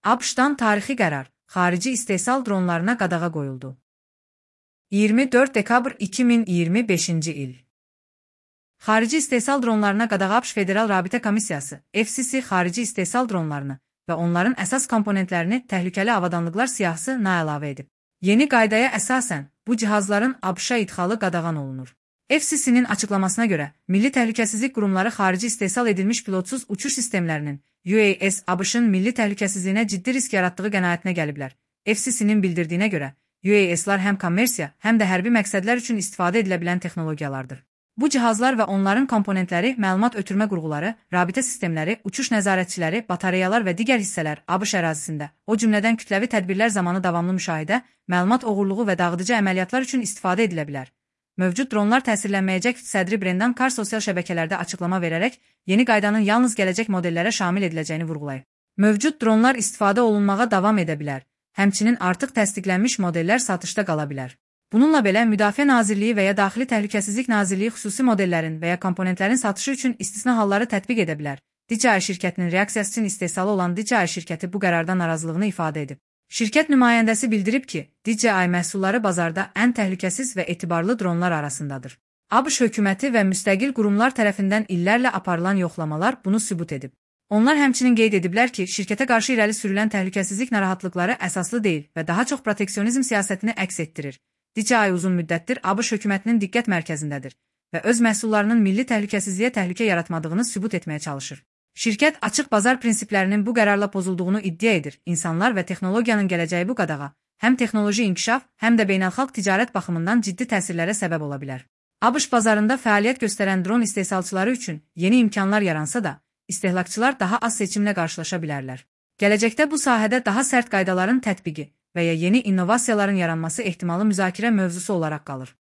ABŞ-dan tarixi qərar, xarici istehsal dronlarına qadağa qoyuldu. 24 dekabr 2025-ci il. Xarici istehsal dronlarına qadağa ABŞ Federal Rabitə Komissiyası, FCC xarici istehsal dronlarını və onların əsas komponentlərini təhlükəli avadanlıqlar siyahısı əlavə edib. Yeni qaydaya əsasən, bu cihazların ABŞ-a idxalı qadağan olunur. FCC-nin açıqlamasına görə, Milli Təhlükəsizlik Qurumları xarici istehsal edilmiş pilotsuz uçuş sistemlərinin UAS ABŞ-ın milli təhlükəsizliyinə ciddi risk yaratdığı qənaətinə gəliblər. FCC-nin bildirdiyinə görə, UAS-lar həm kommersiya, həm də hərbi məqsədlər üçün istifadə edilə bilən texnologiyalardır. Bu cihazlar və onların komponentləri, məlumat ötürmə qurğuları, rabitə sistemləri, uçuş nəzarətçiləri, batareyalar və digər hissələr ABŞ ərazisində, o cümlədən kütləvi tədbirlər zamanı davamlı müşahidə, məlumat oğurluğu və dağıdıcı əməliyyatlar üçün istifadə edilə bilər. Mövcud dronlar təsirlənməyəcək sədri Brendan Carr sosial şəbəkələrdə açıqlama verərək, yeni qaydanın yalnız gələcək modellərə şamil ediləcəyini vurğulayıb. Mövcud dronlar istifadə olunmağa davam edə bilər, həmçinin artıq təsdiqlənmiş modellər satışda qala bilər. Bununla belə, Müdafiə Nazirliyi və ya Daxili Təhlükəsizlik Nazirliyi xüsusi modellərin və ya komponentlərin satışı üçün istisna halları tətbiq edə bilər. DJI şirkətinin reaksiyası üçün istehsalı olan DJI şirkəti bu qərardan narazılığını ifadə edib. Şirkət nümayəndəsi bildirib ki, DJI məhsulları bazarda ən təhlükəsiz və etibarlı dronlar arasındadır. ABŞ hökuməti və müstəqil qurumlar tərəfindən illərlə aparılan yoxlamalar bunu sübut edib. Onlar həmçinin qeyd ediblər ki, şirkətə qarşı irəli sürülən təhlükəsizlik narahatlıqları əsaslı deyil və daha çox proteksionizm siyasətini əks etdirir. DJI uzun müddətdir ABŞ hökumətinin diqqət mərkəzindədir və öz məhsullarının milli təhlükəsizliyə təhlükə yaratmadığını sübut etməyə çalışır. Şirkət açıq bazar prinsiplərinin bu qərarla pozulduğunu iddia edir. İnsanlar və texnologiyanın gələcəyi bu qadağa həm texnoloji inkişaf, həm də beynəlxalq ticarət baxımından ciddi təsirlərə səbəb ola bilər. ABŞ bazarında fəaliyyət göstərən dron istehsalçıları üçün yeni imkanlar yaransa da, istehlakçılar daha az seçimlə qarşılaşa bilərlər. Gələcəkdə bu sahədə daha sərt qaydaların tətbiqi və ya yeni innovasiyaların yaranması ehtimalı müzakirə mövzusu olaraq qalır.